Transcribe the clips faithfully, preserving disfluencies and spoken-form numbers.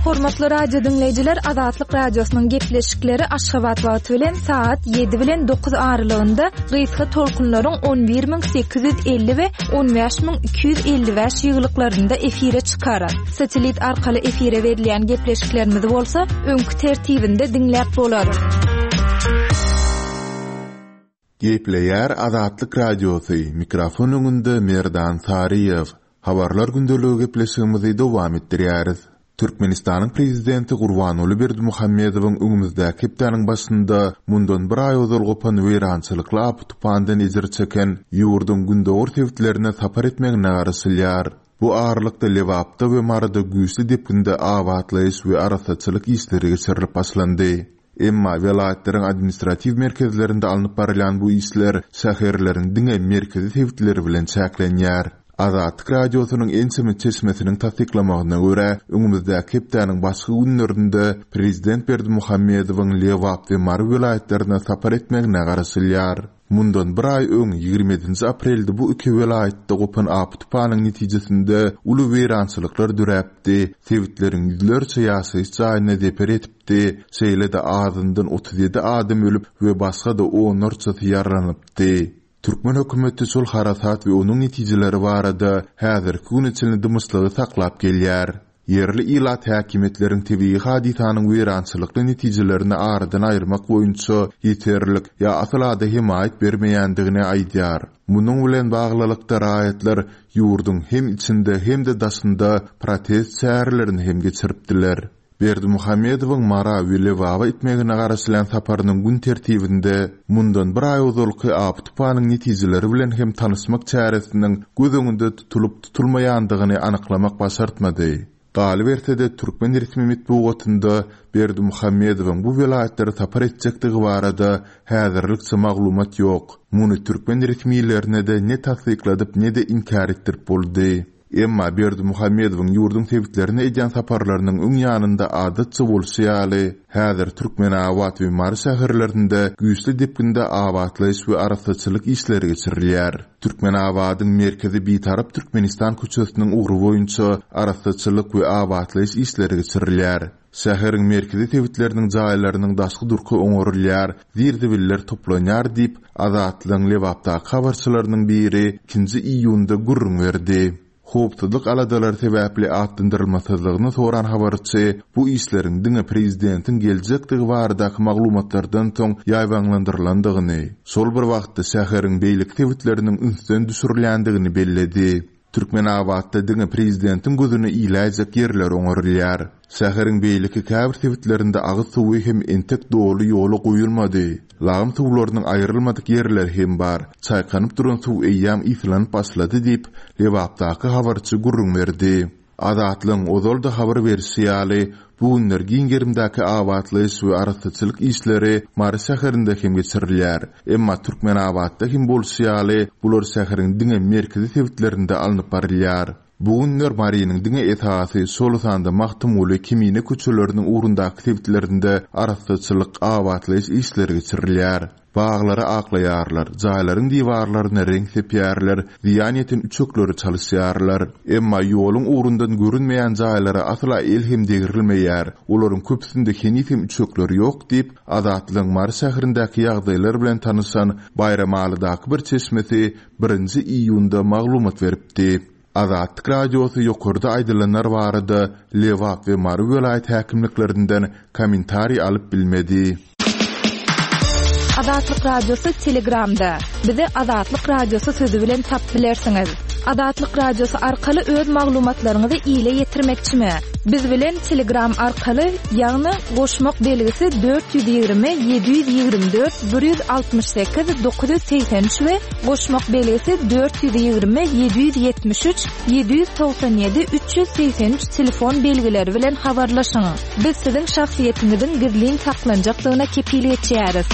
Hormatly radio diňleýjiler, Azatlyk Radiosynyň gepleşikleri Aşgabat wagty bilen saat ýedi bilen dokuz aralygynda gysga tolkunlaryň on bir müň sekiz ýüz elli we on bäş müň iki ýüz elli bäş ýyglyklarynda efire çykar. Satelit arkaly efire berilýän gepleşiklerimizi bolsa öňki tertibinde diňläp bolar. Gepleýär Azatlyk Radiosy, mikrofon öňünde Merdan Saryýew. Habarlar gündeligi gepleşigimizi dowam etdirýäris. Türkmenistanyň prezidenti Gurbanguly Berdimuhamedowyň öňümizdäki hepdäniň başynda mundan bir aý ozal gopan weýrançylykly apy-tupandan ejir çeken ýurduň gündogar sebitlerine sapar etmegine garaşylýar. Bu aralykda Lebapda we Maryda güýçli depginde abatlaýyş we arassaçylyk işleri geçirilip başlandy. Emma welaýatlaryň administratiw merkezlerinde alnyp barylýan bu işler şäherleriň diňe merkezi sebitleri bilen çäklenýär. Azatlyk Radiosynyň ençeme çeşmesiniň tassyklamagyna görä, öňümizdäki hepdäniň başky günlerinde prezident Berdimuhamedowyň Lebap we Mary welaýatlaryna sapar etmegine garaşylýar. Mundan bir aý öň ýigrimi ýedinji aprelde bu iki welaýatda gopan apy-tupanyň netijesinde uly weýrançylyklar döräpdi, sebitleriň ýüzlerçe ýaşaýyş jaýyna zeper etipdi, şeýle-de azyndan otuz ýedi adam ölüp we başga-da onlarçasy ýaralanypdy. Türkmen hökümeti şol harasat we onuň netijeleri barada häzirki güne çenli dymyşlygy saklap gelýär. Ýerli ilat häkimiýetleriň tebigy hadysanyň weýrançylykly netijelerini aradan aýyrmak boýunça ýeterlik ýa asyl ada hemaýat bermeýändigini aýdýar. Munuň bilen baglylykda raýatlar ýurduň hem içinde hem-de daşynda protest çärelerini hem geçiripdiler. Berdimuhamedowyň Mara we Lebaba etmegine garaşylýan saparynyň gün tertibinde mundan bir aý ozalky apy-tupanyň netijeleri bilen hem tanyşmak çäresiniň göz öňünde tutulyp tutulmaýandygyny anyklamak başartmady. Galyberse-de türkmen resmi metbugatynda Berdimuhamedowyň bu welaýatlara sapar etjekdigi barada häzirlikçe maglumat ýok. Muny türkmen resmilerine-de ne tassykladyp ne-de inkär etdirip boldy. Emma Berdimuhamedowyň ýurduň sebitlerine edýän saparlarynyň öň ýanynda adatça bolşy ýaly, häzir Türkmenabat we Mary şäherlerinde güýçli depginde abatlaýyş we arassaçylyk işleri geçirilýär. Türkmenabadyň merkezi Bitarap Türkmenistan köçesiniň ugry boýunça arassaçylyk we abatlaýyş işleri geçirilýär. Şäheriň merkezi sebitleriniň jaýlarynyň daşky durky oňarylýar, zir-zibiller toplanýar diýip, Azatlygyň Lebapdaky habarçylarynyň biri ikinji iýunda gürrüň berdi. Howpsuzlyk aladalary sebäpli atlandyrylmasyzlygyny soran habarçy bu işleriň diňe prezidentiň geljekdigi baradaky maglumatlardan soň ýaýbaňlandyrylandygyny, şol bir wagtda şäheriň beýleki sebitleriniň ünsden düşürilýändigini belledi. Türkmenabatda diňe prezidentiň gözüne iläýjek ýerler oňarylýar. Şäheriň beýleki käbir sebitlerinde agyz suwy hem entek doly ýola goýulmady. Lagym suwlarynyň aýrylmadyk ýerleri hem bar. Çaýkanyp duran suw eýýäm ýyslanyp başlady diýip, Lebapdaky habarçy gürrüň berdi. Azatlygyň ozal-da habar berişi ýaly, bu günler giň gerimdäki abatlaýyş we arassaçylyk işleri Mary şäherinde hem geçirilýär. Emma Türkmenabatda hem bolşy ýaly, bular şäheriň diňe merkezi sebitlerinde alnyp barylýar. Bu günler Marynyň diňe esasy, şol sanda Magtymguly, Kemine köçeleriniň ugrundaky sebitlerinde arassaçylyk, abatlaýyş işleri geçirilýär. Baglary aklaýarlar, jaýlaryň diwarlaryna reňk sepýärler, zyýan ýeten üçekleri çalyşýarlar. Emma ýoluň ugrundan görünmeýän jaýlara asla el hem degrilmeýär. Olaryň köpüsinde heniz hem üçekler ýok diýip, Azatlygyň Mary şäherindäki ýagdaýlar bilen tanyşan Baýramalydaky bir çeşmesi birinji iýunda maglumat beripdi. Azatlyk Radiosy ýokarda aýdylanlar barada Lebap we Mary welaýat häkimliklerinden kommentariý alyp bilmedi. Azatlyk Radiosy Telegramda. Bize Azatlyk Radiosy sözü bilen tap bilersiňiz. Azatlyk Radiosy arkaly öz maglumatlaryňyzy ile ýetirmekçimi? Biz bilen Telegram arkaly, ýagny goşmak belgisi dört ýüz ýigrimi, ýedi ýüz ýigrimi dört, bir ýüz altmyş sekiz, dokuz ýüz segsen üç we goşmak belgisi dört ýüz ýigrimi, ýedi ýüz ýetmiş üç, ýedi ýüz togsan ýedi, üç ýüz segsen üç telefon belgileri bilen habarlaşyň. Biz siziň şahsyýetiňiziň gizlin saklanjakdygyna kepil geçýäris.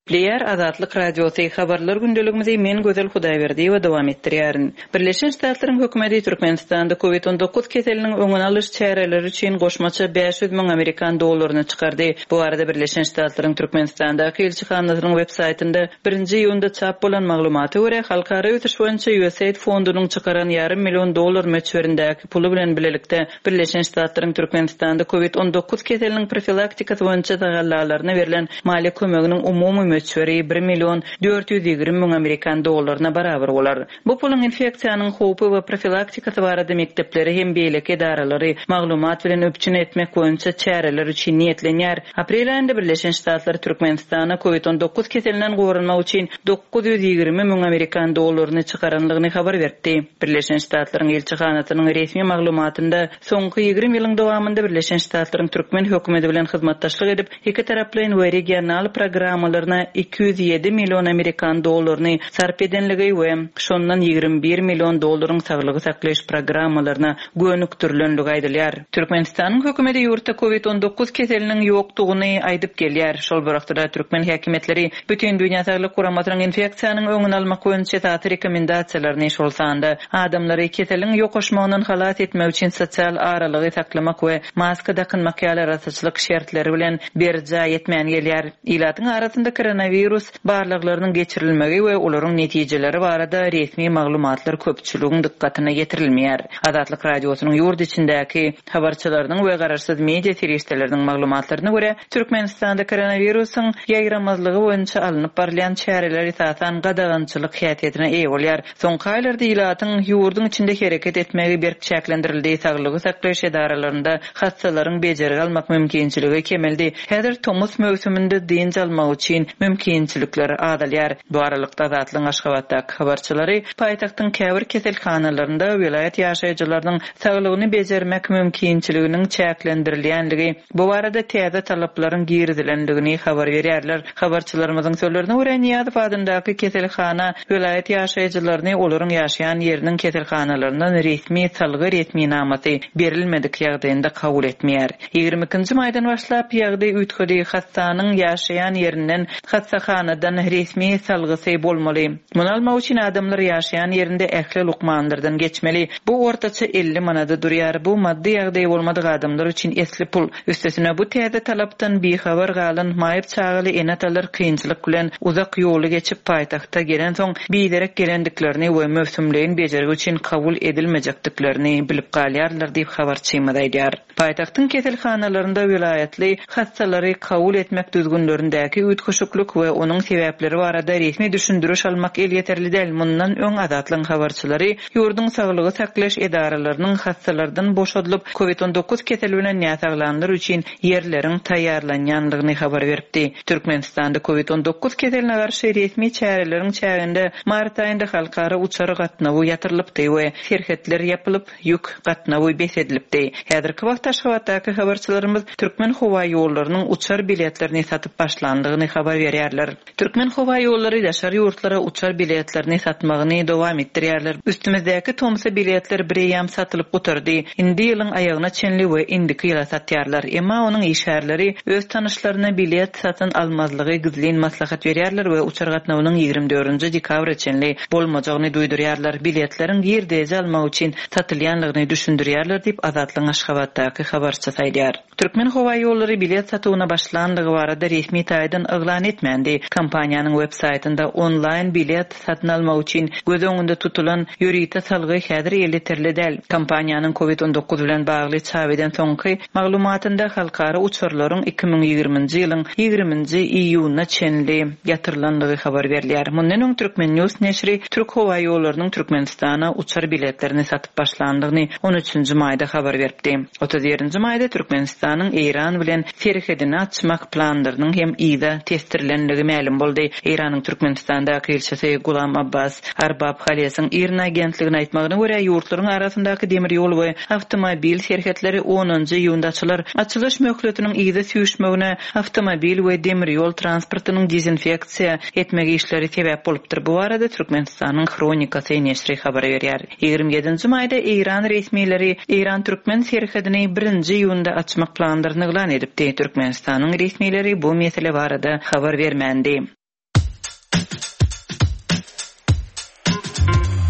Gepleýär Azatlyk Radiosy, Habarlar gündeligimizi men Gözel Hudaýberdiýewa dowam etdirýärin. Birleşen Ştatlaryň hökümeti Türkmenistanda Covid on dokuz keseliniň öňüni alyş çäreleri üçin goşmaça bäş ýüz müň amerikan dollaryny çykardy. Bu barada Birleşen Ştatlaryň Türkmenistandaky ilçihanasynyň web saýtynda birinji iýunda çap bolan maglumata görä, Halkara ösüş boýunça U S A I D fondunyň çykaran ýarym million dollar möçberindäki puly bilen bilelikde Birleşen Ştatlaryň Türkmenistanda Covid on dokuz keseliniň profilaktikasy boýunça tagallalaryna berlen maliýe kömeginiň umumy möçberi bir million dört ýüz ýigrimi müň amerikan dollaryna barabar bolar. Bu puluň infeksiýanyň howpy we profilaktikasy barada mekdepleri hem beýleki edaralary maglumat bilen üpjün etmek boýunça çäreler üçin niýetlenýär. Aprel aýynda Birleşen Ştatlar Türkmenistana Covid on dokuz keselinden goranmak üçin dokuz ýüz ýigrimi müň amerikan dollaryny çykaranlygyny habar berdi. Birleşen Ştatlaryň ilçihanasynyň resmi maglumatynda soňky ýigrimi ýylyň dowamynda Birleşen Ştatlaryň türkmen hökümeti bilen hyzmatdaşlyk edip, iki taraplaýyn we regional programmalaryna iki ýüz ýedi million amerikan dollaryny sarp edenligi we şondan ýigrimi bir million dollaryň saglygy saklaýyş programmalaryna gönükdirilenligi aýdylýar. Türkmenistanyň hökümeti ýurtda Covid on dokuz keseliniň ýokdugyny aýdyp gelýär. Şol bir wagtda türkmen häkimiýetleri Bütün Dünýä Saglyk Guramasynyň infeksiýanyň öňüni almak boýunça esasy rekomendasiýalaryny şol sanda adamlary keseliň ýokaşmagyndan halas etmek üçin sosial aralygy saklamak we maska dakynmak ýaly arassaçylyk şertleri bilen berjaý etmän gelýär. Ilatyň arasynda koronavirus barlaglarynyň geçirilmegi we olaryň netijeleri barada resmi maglumatlar köpçüligiň dykgatyna ýetirilmeýär. Azatlyk Radiosynyň ýurt içindäki habarçylarynyň we garaşsyz media serişdeleriniň maglumatlaryna görä, Türkmenistanda koronawirusyň ýaýramazlygy boýunça alnyp barylýan çäreler esasan gadagançylyk häsiýetine eýe bolýar. Soňky aýlarda ilatyň ýurduň içinde hereket etmegi berk çäklendirildi, saglygy saklaýyş edaralarynda hassalaryň bejergi almak mümkinçiligi kemeldi. Häzir tomus möwsüminde dynç almak üçin mümkinçilikler azalýar. Bu aralykda Azatlygyň Aşgabatdaky habarçylary paýtagtyň käbir keselhanalarynda welaýat ýaşaýjylarynyň saglygyny bejermek mümkinçiliginiň çäklendirilýänligi, bu barada täze talaplaryň girizilendigini habar berýärler. Habarçylarymyzyň sözlerine görä, Nyýazow adyndaky keselhana welaýat ýaşaýjylaryny olaryň ýaşaýan ýeriniň keselhanalaryndan resmi salgy resminamasy berilmedik ýagdaýynda kabul etmeýär. Ýigrimi ikinji maýdan başlap ýagdaý üýtgedi, hassanyň ýaşaýan ýerinden hassahanadan resmi salgysy bolmaly. Muny almak üçin adamlar ýaşaýan ýerinde ähli lukmanlardan geçmeli. Bu ortaça elli manada durýar. Bu maddy ýagdaý bolmadyk adamlar üçin esli pul. Üstesine bu täze talapdan bihabar galan maýyp çagaly ene-atalar kynçylyk bilen uzak ýoly geçip paýtagta gelen soň biderek gelendiklerini we möwsümleýin bejergi üçin kabul edilmejekdiklerini bilip galýarlar diýip habarçymyz aýdýar. Paýtagtyň keselhanalarynda welaýatly hassalary kabul etmek düzgünlerindäki üýtgeşiklik we onuň sebäpleri barada resmi düşündiriş almak elýeterli däl. Mundan öň Azatlygyň habarçylary ýurduň saglygy saklaýyş edaralarynyň hassalardan boşadylyp Covid on dokuz keseli bilen näsaglanlar üçin ýerleriň taýýarlanýanlygyny habar beripdi. Türkmenistanda Covid on dokuz keseline garşy resmi çäreleriň çäginde mart aýynda halkara uçar gatnawy ýatyrylypdy we serhetler ýapylyp ýük gatnawy bes edilipdi. Häzirki wagtda Aşgabatdaky habarçylarymyz Türkmen howa ýollarynyň uçar biletlerini satyp başlandygyny habar berýärler. Türkmen howa ýollary daşary ýurtlara uçar biletlerini satmagyny dowam etdirýärler. Üstümizdäki tomsa biletler bireýam satylyp gutardy. Indi ýylyň aýagyna çenli we indiki ýyla satýarlar. Emma onuň işgärleri öz tanyşlaryna bilet satyn almazlygy gizlin maslahat berýärler we uçar gatnawynyň ýigrimi dördünji dekabra çenli bolmajagyny duýdurýarlar. Biletleriň girdeji almak üçin satylýanlygyny düşündirýärler diýip Azatlygyň Aşgabatdaky habarçysy aýdýar. Türkmen howa ýollary bilet satuwyna başlandygy barada resmi taýdan yglan etmändi. Kompaniýanyň web saýtynda onlaýn bilet satyn almak üçin göz öňünde tutulan ýörite salgy häzir elýeterli däl. Kompaniýanyň Covid on dokuz bilen bagly çap eden soňky maglumatynda halkara uçarlaryň iki müň ýigriminji ýylyň ýigriminji iýunyna çenli ýatyrylandygy habar berilýär. Mundan öň Türkmen News neşiri Türk howa ýollarynyň Türkmenistana uçar biletlerini satyp başlandygyny on üçünji maýda habar beripdi. Otuz birinji maýda Türkmenistanyň Eýran bilen serhedini açmak planlarynyň hem yza testirilenligi mälim boldy. Eýranyň Türkmenistandaky ilçisi Gulam Abbas Arbab Halesiň IRNA agentligine aýtmagyna görä, ýurtlaryň arasyndaky demir ýol we awtomobil serhetleri onunjy iýunda açylar. Açylyş möhletiniň yza süýşmegine awtomobil we demir ýol transportynyň dezinfeksiýa etmek işleri sebäp bolupdyr. Bu barada Türkmenistanyň Hronikasy neşiri habar berýär. Ýigrimi ýedinji maýda Eýran resmileri Eýran-Türkmen serhedini birinji iýunda açmak planlaryny yglan edipdi. Türkmenistanyň resmileri bu mesele barada habar bermändi.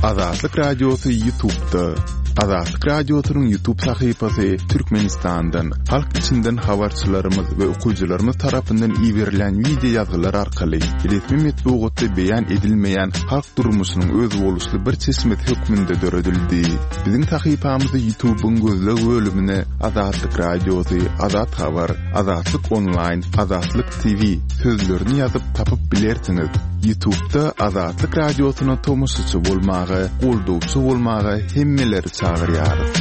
Azatlyk Radiosy YouTube'da. Azatlyk Radiosynyň YouTube sahypasy Türkmenistandan, halk içinden habarçylarymyz we okyjylarymyz tarapyndan iberilen wideo ýazgylar arkaly resmi metbugatda beýan edilmeýän halk durmuşynyň özboluşly bir çeşmesi hökmünde döredildi. Biziň sahypamyzy YouTube'yň gözleg bölümine Azatlyk Radiosy, Azat Habar, Azatlyk Online, Azatlyk T V sözlerini ýazyp tapyp bilersiňiz. YouTube'da Azatlyk Radiosyna tomaşaçy bolmaga, goldawçy bolmaga hemmeleri çagyrýarys.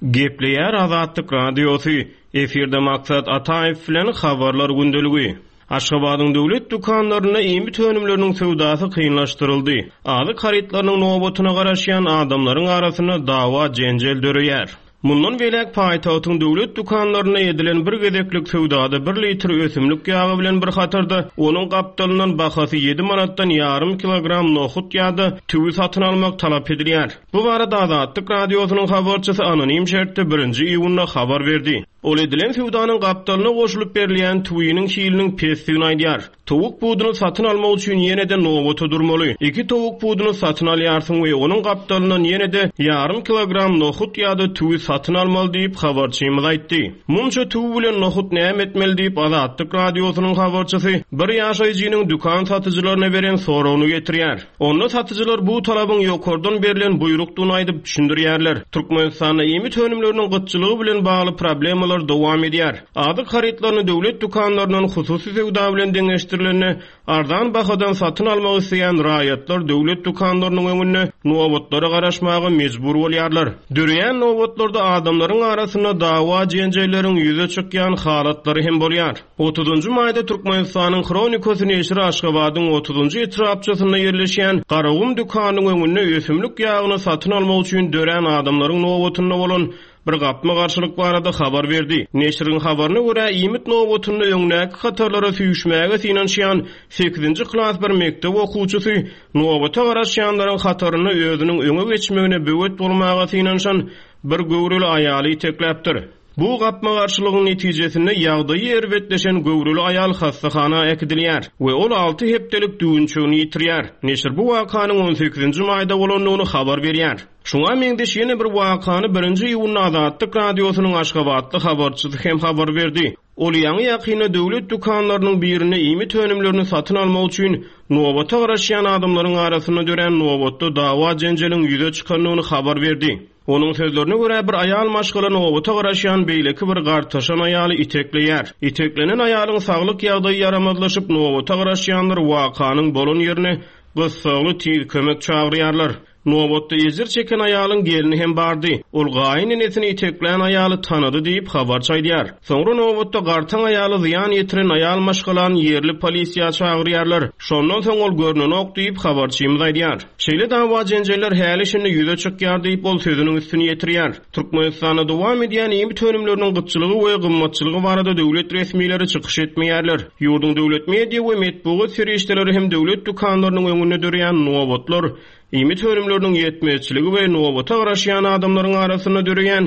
Gepleýär Azatlyk Radiosy, efirde Maksat Ataýew bilen habarlar gündeligi. Aşgabadyň döwlet dükanlarynda iýmit önümleriniň söwdasy kynlaşdyryldy. Azyk harytlarynyň nobatyna garaşýan adamlaryň arasynda dawa jenjel döreýär. Mundan beýläk paýtagtyň döwlet dükanlarynda edilen bir gezeklik söwdada bir litr ösümlik ýagy bilen bir hatarda onuň gapdalyndan bahasy ýedi manatdan ýarym kilogram nohut ýa-da tüwi satyn almak talap edilýär. Bu barada Azatlyk Radiosynyň habarçysy anonim şertde birinji iýunda habar berdi. Ol edilen söwdanyň gapdalyna goşulyp berilýän tüwiniň hiliniň pesdigini aýdýar. Towuk buduny satyn almak üçin ýene-de nobata durmaly. Iki towuk buduny satyn alýarsyň we onuň gapdalyndan ýene-de ýarym kilogram nohut ýa-da tüwi satyn almaly diýip habarçymyz aýtdy. Munça tüwi bilen nohut näme etmeli diýip Azatlyk Radiosynyň habarçysy bir ýaşaýjynyň dükan satyjylaryna beren soragyny getirýär. Onda satyjylar bu talabyň ýokardan berlen buýrukdygyny aýdyp düşündirýärler. Türkmenistanda iýmit önümleriniň gytçylygy bilen bagly problemalar dowam edýär. Azyk harytlaryny döwlet dükanlaryndan hususy söwda bilen deňeşdirilende arzan bahadan satyn almak isleýän raýatlar döwlet dükanlarynyň öňünde nobatlara garaşmaga mejbur bolýarlar. Döreýän nobatlarda adamlaryň arasynda dawa jenjelleriň ýüze çykýan halatlary hem bolýar. Otuzunjy maýda Türkmenistanyň Hronikasy neşiri Aşgabadyň otuzunjy etrapçasynda ýerleşýän Garagum dükanynyň öňünde ösümlik ýagyny satyn almak üçin dörän adamlaryň nobatynda bolan bir gapma garşylyk barada habar berdi. Neşiriň habaryna görä iýmit nobatynda öňdäki hatarlara süýşmäge synanyşýan sekizinji klas bir mekdep okuwçysy nobata garaşýanlaryň hatarynda özüniň öňe geçmegine böwet bolmaga synanyşan bir göwreli aýaly itekläpdir. Bu gapma garşylygyň netijesinde ýagdaýy erbetleşen göwreli aýal hastahana äkidilýär we ol alty hepdelik düwünçegini ýitirýär. Neşir bu wakanyň on sekizinji maýda bolandygyny habar berýär. Şuňa meňzeş ýene bir wakany birinji iýunda Azatlyk Radiosynyň Aşgabatly habarçysy hem habar berdi. Ol ýaňy ýakynda döwlet dükanlarynyň birinde iýmit önümlerini satyn almak üçin nobata garaşýan adamlaryň arasynda dörän nobatda dawa jenjeliň ýüze çykandygyny habar berdi. Onuň sözlerine görä bir aýal maşgala nobata garaşýan beýleki bir gartaşan aýaly itekleýär. Iteklenen aýalyň saglyk ýagdaýy ýaramazlaşyp nobata garaşýanlar wakanyň bolan ýerine gyssagly tiz kömek çagyrýarlar. Nobatda ejir çeken aýalyň gelini hem bardy. Ol gaýyn enesini iteklän aýaly tanady diýip habarçy aýdýar. Soňra nobatda gartaň aýaly zyýan ýetiren aýal maşgalany ýerli polisiýa çagyrýarlar. Şondan soň ol görnenok diýip habarçymyz aýdýar. Şeýle dawa jenjeller häli şindi ýüze çykýar diýip ol sözüniň üstüni ýetirýär. Türkmenistanda dowam edýän iýmit önümleriniň gytçylygy we gymmatçylygy barada döwlet resmileri çykyş etmeýärler. Ýurduň döwlet media we metbugat serişdeleri hem döwlet dükanlarynyň öňünde dörýän nobatlar, iýmit önümleriniň ýetmezçiligi we nobata garaşýan adamlaryň arasynda döreýän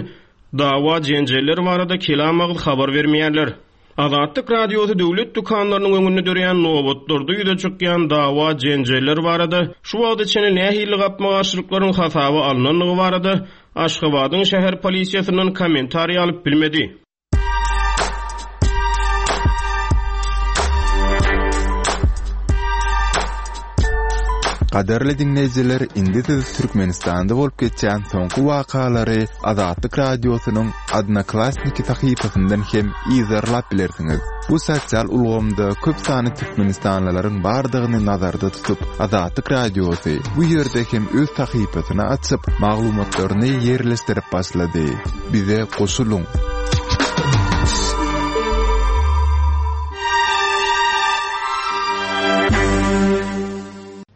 dawa jenjeller barada kelam agyz habar bermeýärler. Azatlyk Radiosy döwlet dükanlarynyň öňünde dörýän nobatlarda ýüze çykýan dawa jenjeller barada şu wagta çenli nähili gapma-garşylyklaryň hasaba alynandygy barada Aşgabadyň şäher polisiýasyndan kommentariý alyp bilmedi. Gadarly dinleýjiler, indi siz Türkmenistanda bolup geçýän soňky wakalary Azatlyk Radiosynyň Odnoklassniki sahypasyndan hem yzarlap bilersiňiz. Bu sosial ulgamda köp sany türkmenistanlylaryň bardygyny nazarda tutup, Azatlyk Radiosy bu ýerde hem öz sahypasyny açyp, maglumatlaryny ýerleşdirip başlady. Bize goşulyň.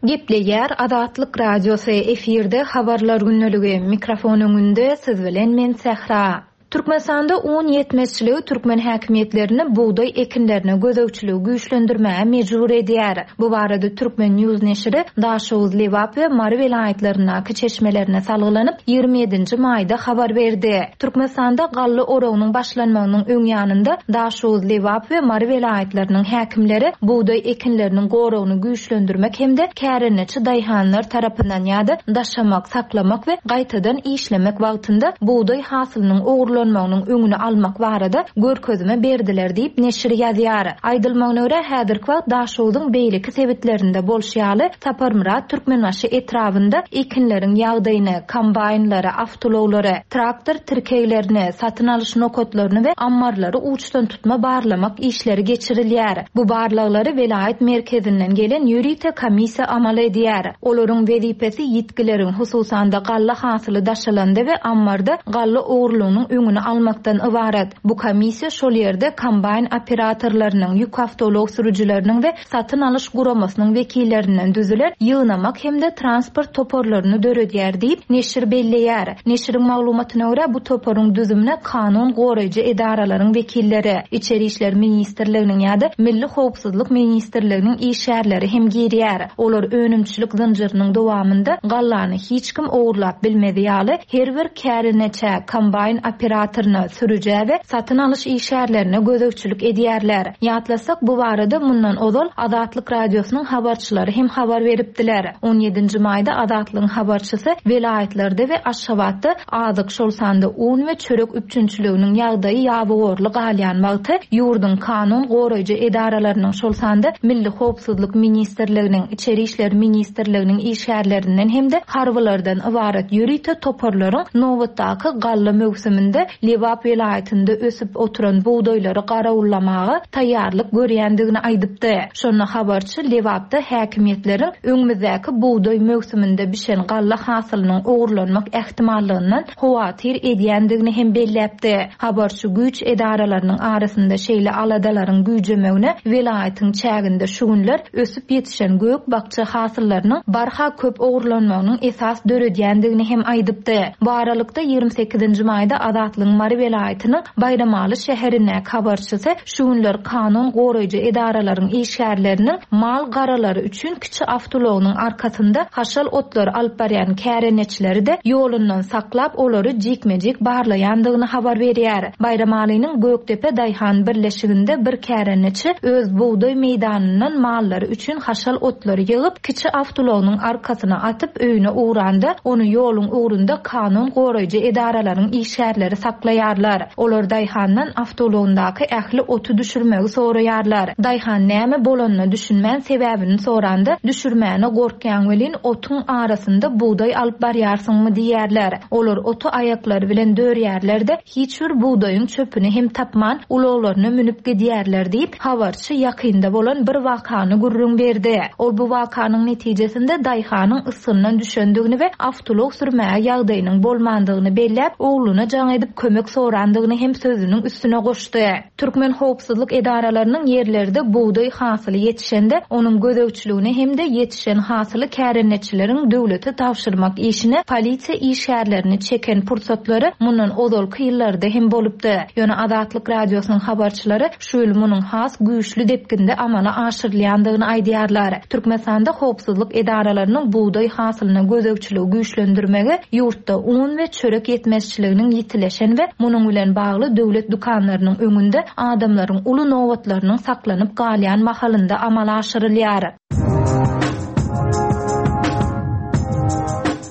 Gepleýär Azatlyk Radiosy efirde habarlar gündeligi mikrofon öňünde siz bilen men Sähra. Türkmenistanda un ýetmezçiligi türkmen häkimiýetlerini bugdaý ekinlerine gözegçiligi güýçlendirmäge mejbur edýär. Bu barada Turkmen News neşiri Daşoguz, Lebap we Mary welaýatlaryndaky çeşmelerine salgylanyp, ýigrimi ýedinji maýda habar berdi. Türkmenistanda galla oragynyň başlanmagynyň öň ýanynda Daşoguz, Lebap we Mary welaýatlarynyň häkimleri bugdaý ekinleriniň goragyny güýçlendirmek hem-de kärendeçi daýhanlar tarapyndan ýa-da daşamak, saklamak we gaýtadan işlemek wagtynda bugdaý hasylynyň ogurlanmagynyň öňüni almak barada görkezme berdiler diýip neşir ýazýar. Aýdylmagyna görä, häzirki wagt Daşoguzyň beýleki sebitlerinde bolşy ýaly, Saparmyrat Türkmenbaşy etrabynda ekinleriň ýagdaýyny, kombaýnlary, awtoulaglary, traktor tirkeglerini, satyn alyş nokatlaryny we ammarlary uçdan tutma barlamak işleri geçirilýär. Bu barlaglary welaýat merkezinden gelen ýörite komissiýa amal edýär. Olaryň wezipesi ýitgileriň, hususan-da galla hasyly daşalanda we ammarda galla ogurlygynyň öňüni almakdan ybarat. Bu komissiýa şol ýerde kombaýn operatorlarynyň, ýük awtoulag sürüjileriniň we satyn alyş guramasynyň wekillerinden düzülen ýygnamak hem-de transport toparlaryny döredýär diýip, neşir belleýär. Neşiriň maglumatyna görä, bu toparyň düzümine kanun goraýjy edaralaryň wekilleri, Içeri işler ministrliginiň ýa-da Milli howpsuzlyk ministrliginiň işgärleri hem girýär. Olar önümçilik zynjyrynyň dowamynda gallany hiç kim ogurlap bilmezi ýaly, her bir kärendeçä, kombaýn operatoryna, sürüjä we satyn alyş işgärlerine gözegçilik edýärler. Ýatlasak, bu barada mundan ozal Azatlyk Radiosynyň habarçylary hem habar beripdiler. On ýedinji maýda Azatlygyň habarçysy welaýatlarda we Aşgabatda azyk, şol sanda un we çörek üpjünçiliginiň ýagdaýy ýabygorly galýan wagty ýurduň kanun goraýjy edaralarynyň, şol sanda Milli howpsuzlyk ministrliginiň, Içeri işler ministrliginiň işgärlerinden hem-de harbylardan ybarat ýörite toparlaryň nobatdaky galla möwsüminde Lebap welaýatynda ösüp oturan bugdaýlary garawullamaga taýýarlyk görýändigini aýdypdy. Şonda habarçy Lebapda häkimiýetleriň öňümizdäki bugdaý möwsüminde bişen galla hasylynyň ogurlanmak ähtimallygyndan howatyr edýändigini hem belläpdi. Habarçy güýç edaralarynyň arasynda şeýle aladalaryň güýjemegine welaýatyň çäginde şu günler ösüp ýetişen gök-bakja hasyllarynyň barha köp ogurlanmagynyň esas döredýändigini hem aýdypdy. Bu aralykda ýigrimi sekizinji maýda Azatlygyň Mary welaýatynyň Baýramaly şäherindäki habarçysy şu günler kanun goraýjy edaralaryň işgärleriniň mal garalary üçin kiçi awtoulagynyň arkasynda haşal otlary alyp barýan kärendeçileri-de ýolundan saklap, olary jikme-jik barlaýandygyny habar berýär. Baýramalynyň Gökdepe daýhan birleşiginde bir kärendeçi öz bugdaý meýdanyndan mallary üçin haşal otlary ýygyp, kiçi awtoulagynyň arkasyna atyp öýüne ugranda, ony ýoluň ugrunda kanun goraýjy edaralaryň işgärleri saklaýarlar. Olar daýhandan awtoulagyndaky ähli oty düşürmegi soraýarlar. Daýhan näme bolanyna düşünmän sebäbini soranda, düşürmäne gorkýan welin otuň arasynda bugdaý alyp barýarsyňmy diýýärler. Olar oty aýaklary bilen dörýärler-de, hiç bir bugdaýyň çöpüni hem tapman ulaglaryna münüp gidýärler diýip, habarçy ýakynda bolan bir wakany gürrüň berdi. Ol bu wakanyň netijesinde daýhanyň ysgyndan düşendigini we awtoulag sürmäge ýagdaýynyň bolmandygyny belläp, ogluna jaň edip kömek sorandygyny hem sözüniň üstüne goşdy. Türkmen howpsuzlyk edaralarynyň ýerlerde bugdaý hasyly ýetişende, onuň gözegçiligine hem-de ýetişen hasyly kärendeçileriň döwlete tabşyrmak işine polisiýa işgärlerini çeken pursatlary mundan ozalky ýyllarda hem bolupdy. Ýöne Azatlyk Radiosynyň habarçylary şu ýyl munuň has güýçli depginde amala aşyrylýandygyny aýdýarlar. Türkmenistanda howpsuzlyk edaralarynyň bugdaý hasylyna gözegçiligi güýçlendirmegi ýurtda un we çörek ýetmezçiliginiň ýitileşen we munuň bilen bagly döwlet dükanlarynyň öňünde adamlaryň uly nobatlarynyň saklanyp galýan mahalynda amala aşyrylýar.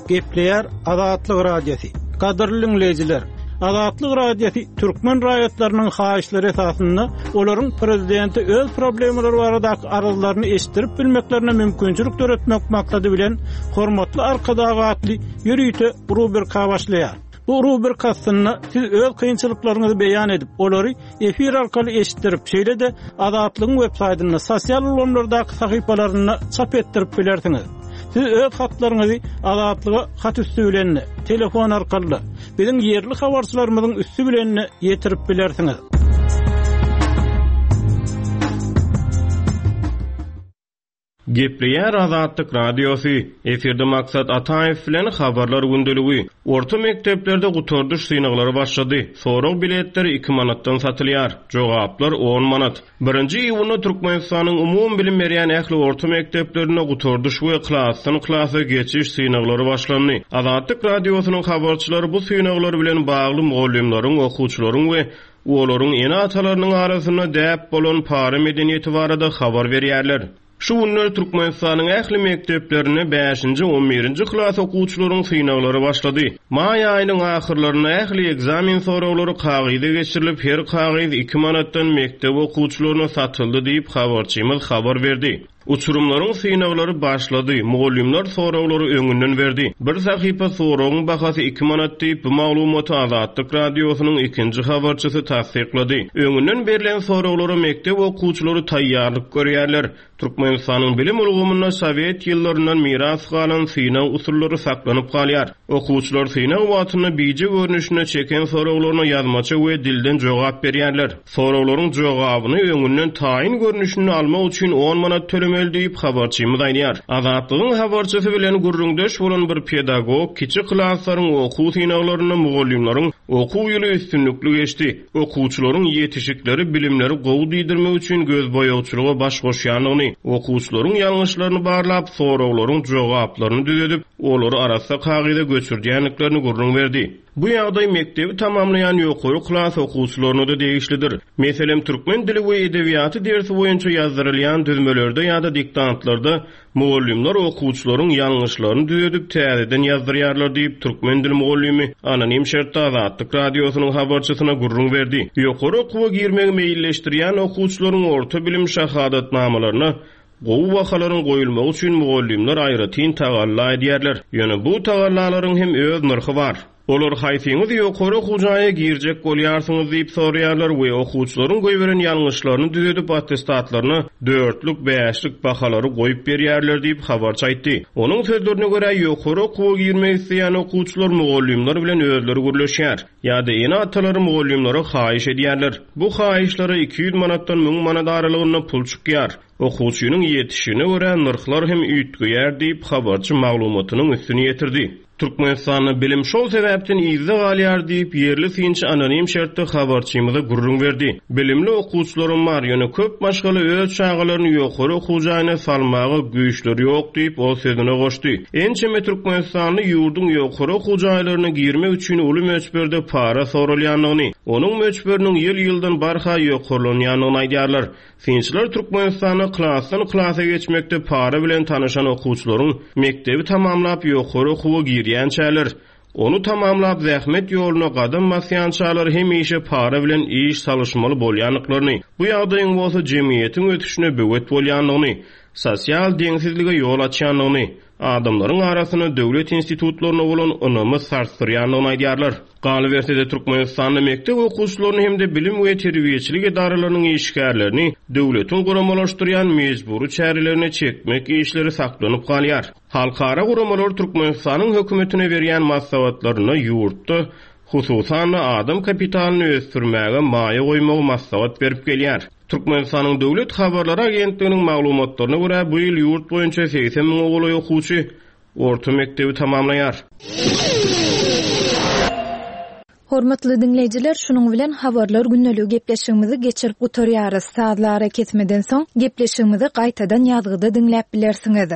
Gepleýär Azatlyk Radiosy. Gadyrly dinleýjiler, Azatlyk Radiosy türkmen raýatlarynyň haýyşlary esasynda olaryň prezidenti öz problemalary baradaky arzlaryny eşitdirip bilmeklerine mümkinçilik döretmek maksady bilen Hormatly Arkadag atly ýörite rubrika başlaýar. Bu rubrika aslynda siz öz kynçylyklaryňyzy beýan edip, olary efir arkaly eşitdirip, şeýle-de Azatlygyň web saýtynda, sosial ulgamlardaky sahypalarynda çap etdirip bilersiňiz. Siz öz hatlaryňyzy Azatlyga hat üstü bilen, telefon arkaly, biziň ýerli habarçylarymyzyň üstü bilen ýetirip bilersiňiz. Gepleýär Azatlyk Radiosy, efirde Maksat Ataýew bilen Habarlar gündeligi. Orta mekdeplerde gutardyş synaglary başlady. Sorag biletleri iki manatdan satylýar. Jogaplar on manat. Birinji iýunda Türkmenistanyň umumy bilim berýän ähli orta mekdeplerinde gutardyş we klasdan klasa geçiş synaglary başlandy. Azatlyk Radiosynyň habarçylary bu synaglar bilen bagly mugallymlaryň, okuwçylaryň we olaryň ene-atalarynyň arasynda däp bolan para medeniýeti barada habar berýärler. Şu günler Türkmenistanyň ähli mekdeplerinde bäşinji, on birinji klas okuwçylaryň synaglary başlady. Maý aýynyň ahyrlarynda ähli ekzamen soraglary kagyza geçirilip, her kagyz iki manatdan mekdep okuwçylaryna satyldy diýip habarçymyz habar berdi. Uçurumlaryň synaglary başlady, mugallymlar soraglary öňünden berdi. Bir sahypa soragyň bahasy iki manat diýip, bu maglumaty Azatlyk Radiosynyň ikinji habarçysy tassyklady. Öňünden berlen soraglara mekdep okuwçylary taýýarlyk görýärler. Türkmenistanyň bilim ulgamynda Sowet ýyllaryndan miras galan synag usullary saklanyp galýar. Okuwçylar synag wagtynda bije görnüşinde çeken soraglaryna ýazmaça we dilden jogap berýärler. Soraglaryň jogabyny öňünden taýyn görnüşinde almak üçin on manat tölemeli diýip habarçymyz aýdýar. Azatlygyň habarçysy bilen gürrüňdeş bolan bir pedagog kiçi klaslaryň okuw synaglarynda mugallymlaryň okuw ýyly üstünlikli geçdi. Okuwçylaryň ýetişikleri bilimleri gowy diýdirmek üçin göz boýagçylyga baş goşýandygyny, okuwçylaryň ýalňyşlaryny barlap, soraglaryň jogaplaryny düzedip, olary arassa kagyza göçürdýändiklerini gürrüň berdi. Bu ýagdaý mekdebi tamamlaýan ýokary klas okuwçylaryna da degişlidir. Meselem, türkmen dili we edebiýaty dersi boýunça ýazdyrylýan düzmelerde ýa-da diktantlarda mugallymlar okuwçylaryň ýalňyşlaryny düzedip täzeden ýazdyrýarlar diýip türkmen dili mugallymy anonim şertde Azatlyk Radiosynyň habarçysyna gürrüň berdi. Ýokary okuwa girmegi meýilleşdirýän okuwçylaryň orta bilim şahadatnamalaryna gowy bahalaryň goýulmagy üçin mugallymlar aýratyn tagalla edýärler. Ýöne bu tagallalaryň hem öz nyrhy bar. Olar haýsyňyz ýokary okuw jaýa girjek bolýarsyňyz diýip soraýarlar we okuwçylaryň goýberen ýalňyşlaryny düzedip attestatlaryna dörtlük, bäşlik bahalary goýup berýärler diýip habarçy aýtdy. Onuň sözlerine görä ýokary okuwa girmek isleýän okuwçylar mugallymlar bilen özleri gürleşýär. Ýa-da ene-atalary mugallymlara haýyş edýärler. Bu haýyşlara iki ýüz manatdan müň manat aralygynda pul çykýar. Okuwçynyň ýetişine görä nyrhlar hem üýtgeýär diýip habarçy maglumatynyň üstüni ýetirdi. Türkmenistanda bilim şol sebäpden yzda galýar diýip ýerli synçy anonim şertde habarçymyza gürrüň berdi. Bilimli okuwçylarym bar, ýöne köp maşgala öz çagalaryny ýokary okuw jaýyna salmaga güýçleri ýok diýip ol sözüne goşdy. Ençeme Türkmenistanly ýurduň ýokary okuw jaýlaryna girmek üçin uly möçberde para soralýandygyny, onuň möçberiniň ýyl-ýyldan barha ýokarlanýandygyny aýdýarlar. Synçylar Türkmenistanda klasdan klasa geçmekde para bilen tanyşan okuwçylaryň mekdebi tamamlap ýokary okuwa girýänçäler, onu tamamlap zähmet ýoluna gadam basýançalar hemişe para bilen iş salyşmaly bolýandyklaryny, bu ýagdaýyň bolsa jemgyýetiň ösüşine böwet bolýandygyny, sosial deňsizlige ýol açýandygyny, adamlaryň arasynda döwlet institutlaryna bolan ynamy sarsdyrýandygyny aýdýarlar. Galyberse-de Türkmenistanda mekdep okuwçylaryny hem-de bilim we terbiýeçilik edaralarynyň işgärlerini döwletiň guramalaşdyrýan mejbury çärelerine çekmek işleri saklanyp galýar. Halkara guramalar Türkmenistanyň hökümetine berýän maslahatlarynda ýurtda hususan adam kapitalyny ösdürmäge maýa goýmagy maslahat berip gelýär. Türkmenistanyň Döwlet Habarlar Agentliginiň maglumatlaryna görä bu ýyl ýurt boýunça segsen müň golaý okuwçy orta mekdebi tamamlaýar. Hormatly dinleýjiler, şunuň bilen habarlar gündeligi gepleşigimizi geçirip gutarýarys. Sazlara kesmeden soň gepleşigimizi gaýtadan ýazgyda diňläp bilersiňiz.